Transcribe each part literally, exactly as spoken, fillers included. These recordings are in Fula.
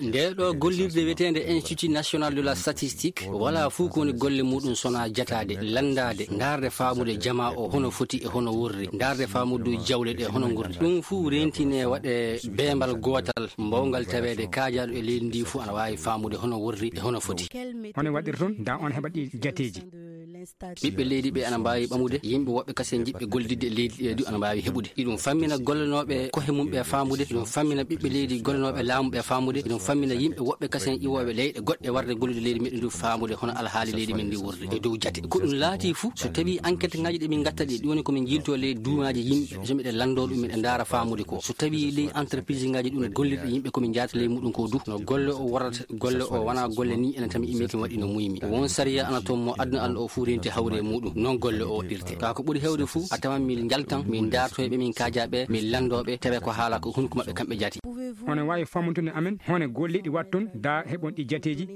Nde ɗo gollirde wiyeteende Institut National de la Statistique, wala fuu ko woni golle muɗum sona jataade, lanndaade, ndaarde faamude jamaa o hono foti e hono worri, ndaarde faamude jawle ɗe hono ngurdi. Ɗum fuu rentine waɗe beembal gootal, mbawngal taweede kaajaaɗo e leydi ndi fuu ana waawi faamude hono worri e hono foti. Hono waɗir toon, da on heɓat ɗi jateeji. Ɓiɓɓe leydi ɓe ana mbaawi ɓamude, yimɓe woɓɓe kasen jiɗɓe gollidde e leydi ɗe du ana mbaawi heɓude. Iɗum fammina gollanooɓe kohe mum ɓe faamude, iɗum fammina ɓiɓɓe leydi gollanooɓe laamu ɓe faamude, iɗum fammina yimɓe woɓɓe kasen iwooɓe leyɗe goɗɗe warde gollude leydi meɗen du faamude hono alhaali leydi men ndi worri e dow jate. Ko ɗum laati fuu, so tawi enquête ngaji ɗe min ngatta ɗi, ɗum woni ko min jilto ley duumaaji yimɓe, so miɗen lanndo ɗum miɗen ndaara faamude ko. So tawi ley entreprise ngaji ɗum gollirɗe yimɓe ko min jaata ley muɗum ko du, no golle o warata, golle o wona golle ni enen tan mi immi kin waɗi no muymi. Won sariya ana toon mo aduna Allah o fuu renti hawre e muɗum, noon golle o waɗirte. Ka ko ɓuri hewde fuu, a tawan min njaltan, min daartoyɓe, min kaajaaɓe, min lanndooɓe, tawe ko haala ko hunko maɓɓe kamɓe jaati. Hono waawi famuntude amen, hono golle ɗi watton, da heɓon ɗi jateeji.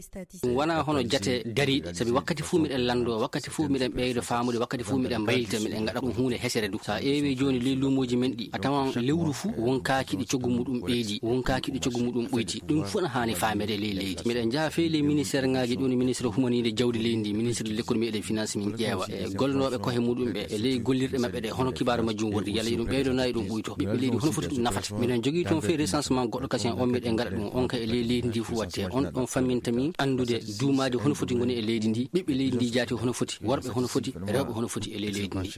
Ɗum wona hono jate dariiɗe, sabi wakkati fuu miɗen lanndoo, wakkati fuu miɗen ɓeydo faamude, wakkati fuu miɗen mbaylita, miɗen ngaɗa ɗum huunde hesere du. So a eewi jooni ley luumooji men ɗi, a tawan lewru fuu won kaaki ɗi coggu muɗum ɓeydi, won kaaki ɗi coggu muɗum ɓoyti. Ɗum fuu na haani faamede ley leydi. Miɗen njaha fey ley ministère ngaji ɗum, ministre humaninde jawdi leydi ndi, ministre de l'économie et des finances, min ƴeewa e gollanooɓe kohe muɗum ɓe e ley gollirɗe maɓɓe ɗe, hono kibaaru majjum wordi, yalla iɗum ɓeydo na iɗum ɓuyto. Ɓiɓɓe leydi hono foti ɗum nafata. Miɗen jogii toon fey recensement goɗɗo kasen on miɗen ngaɗa ɗum, on ka e ley leydi ndi fuu watte. On ɗon famminta min anndude duumaaji hono foti ngoni e leydi ndi, ɓiɓɓe leydi ndi jaati hono foti, worɓe hono foti, rewɓe hono foti e ley leydi ndi.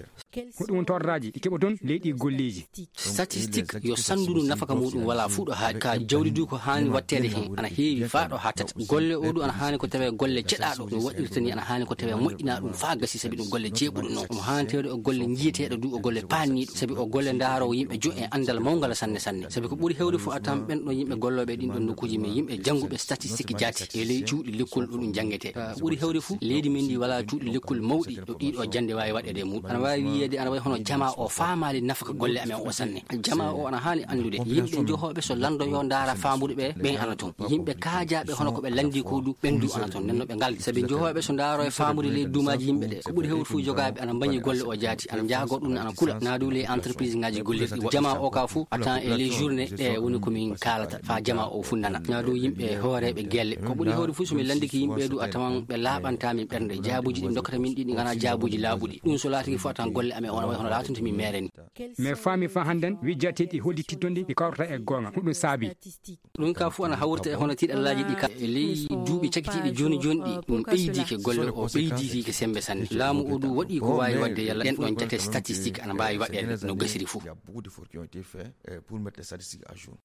Ko ɗum torraaji ɗi keɓoton ley ɗi golleeji. Statistique yo sanndu ndu nafaka muɗum wala fuu ɗo haaɗi. Ka jawdi du ko haani watteede heen ana heewi faa ɗo haattata. Golle o du ana haani ko tawee golle ceɗaaɗo no waɗirta ni, ana haani ko tawee moƴƴinaa ɗum faa gasi, sabi ɗum golle jeeɓuɗo noon. Omo haani tawde o golle njiyeteeɗo du, o golle paanniiɗo, sabi o golle ndaaroowo yimɓe jo e anndal mawngal sanne sanne. Sabi ko ɓuri hewde fof a tawan ɓen ɗon yimɓe gollooɓe e ɗin ɗon nokkuuji men, yimɓe jannguɓe statistique jaati e ley cuuɗi lekkol ɗo ɗum janngetee. Ka ɓuri hewde fof leydi men ndi wala cuuɗi lekkol mawɗi ɗo ɗiɗo jannde waawi waɗeede e muɗum. Ana waawi wiyeede ana wayi hono jamaa o faamaali nafaka golle amen o sanne. Jamaa o ana haani anndude yimɓe johooɓe so lanndo yo ndaara faamude ɓe, ɓen ana toon. Yimɓe kaajaaɓe hono ko ɓe lanndi ko du, ɓen du ana toon. Nden no ɓe ngaldi. Sabi johooɓe so ndaaro e faamude ley duumaaji yimɓe ɗe, ko ɓuri hewde fof jogaaɓe ana mbañi golle o jaati, ana njaago ɗum, ana kula. Naa du ley entreprise ngaji gollirɗi. Jamaa o ka fof a tawan e ley journée ɗe woni ko min kaalata, faa jamaa o fof nana. Naa du yimɓe hooreeɓe gelle. Ko ɓuri hewde fof so min lanndike yimɓe du a tawan ɓe laaɓantaa min ɓernde. Jaabuuji ɗi ndokkata min ɗi, ɗi nganaa jaabuuji laaɓuɗi. Ɗum so laatike fof a tawan golle amen on wayi hono laatunta min meere ni. Mais faami faa hannden wi jateeɗi hollitittonɗi ɗi kawrata e goonga. Ko ɗum saabi. Ɗum ka fof ana hawrita e hono tiiɗallaaji ɗi ka e ley duuɓi cakitiiɗi jooni jooni ɗi, ɗum ɓeydike golle o, ɓeydike semmbe sanne. Laamu o du waɗi ko waawi waɗde yalla ɗen ɗon jate statistique ana mbaawi waɗeede no gasiri fof. Il y a beaucoup d'efforts qui ont été faits, euh, pour mettre les statistiques à jour.